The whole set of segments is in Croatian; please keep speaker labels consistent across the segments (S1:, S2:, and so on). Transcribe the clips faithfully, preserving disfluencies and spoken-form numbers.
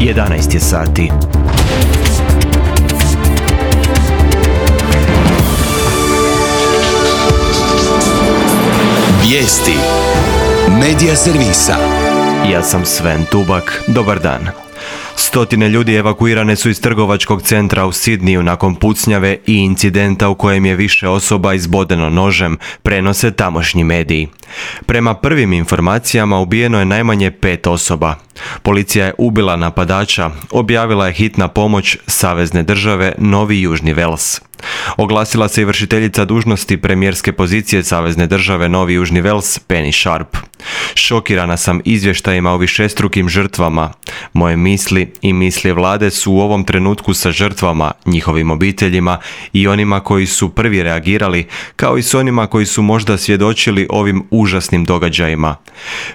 S1: jedanaest je sati.
S2: Vijesti Medija servisa.
S1: Ja sam Sven Tubak. Dobar dan. Stotine ljudi evakuirane su iz trgovačkog centra u Sidniju nakon pucnjave i incidenta u kojem je više osoba izbodeno nožem, prenose tamošnji mediji. Prema prvim informacijama ubijeno je najmanje pet osoba. Policija je ubila napadača, objavila je hitna pomoć savezne države Novi Južni Vels. Oglasila se i vršiteljica dužnosti premijerske pozicije savezne države Novi Južni Vels, Penny Sharp. Šokirana sam izvještajima o višestrukim žrtvama. Moje misli i misli vlade su u ovom trenutku sa žrtvama, njihovim obiteljima i onima koji su prvi reagirali, kao i s onima koji su možda svjedočili ovim užasnim događajima.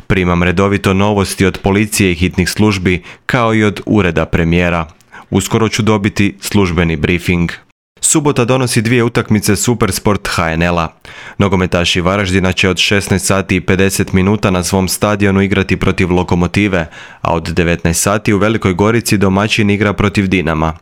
S1: Primam redovito novosti od policije i hitnih službi, kao i od ureda premijera. Uskoro ću dobiti službeni briefing. Subota donosi dvije utakmice Supersport H N L-a. Nogometaši Varaždina će od šesnaest sati i pedeset minuta na svom stadionu igrati protiv Lokomotive, a od devetnaest sati u Velikoj Gorici domaćin igra protiv Dinama.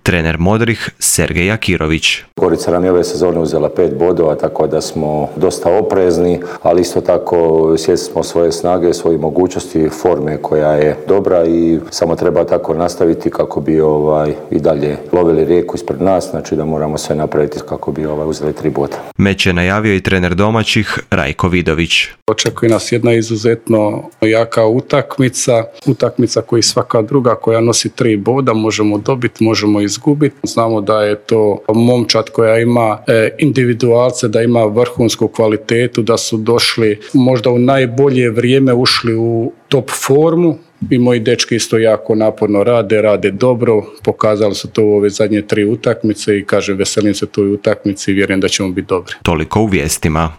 S1: Trener Modrih Sergej Akirović.
S3: Gorica nam je ove sezone uzela pet bodova, tako da smo dosta oprezni, ali isto tako svjesni smo svoje snage, svoje mogućnosti, forme koja je dobra i samo treba tako nastaviti kako bi ovaj i dalje lovili rijeku ispred nas, znači da moramo sve napraviti kako bi ovaj uzeli tri boda.
S1: Meč je najavio i trener domaćih Rajko Vidović.
S4: Očekuje nas jedna izuzetno jaka utakmica, utakmica koji svaka druga koja nosi tri boda možemo dobiti, možemo izgubiti. Znamo da je to momčad koja ima e, individualce, da ima vrhunsku kvalitetu, da su došli možda u najbolje vrijeme, ušli u top formu. I moji dečki isto jako naporno rade, rade dobro, pokazali su to u ove zadnje tri utakmice i kažem veselim se toj utakmici i vjerujem da ćemo biti dobri.
S1: Toliko u vijestima.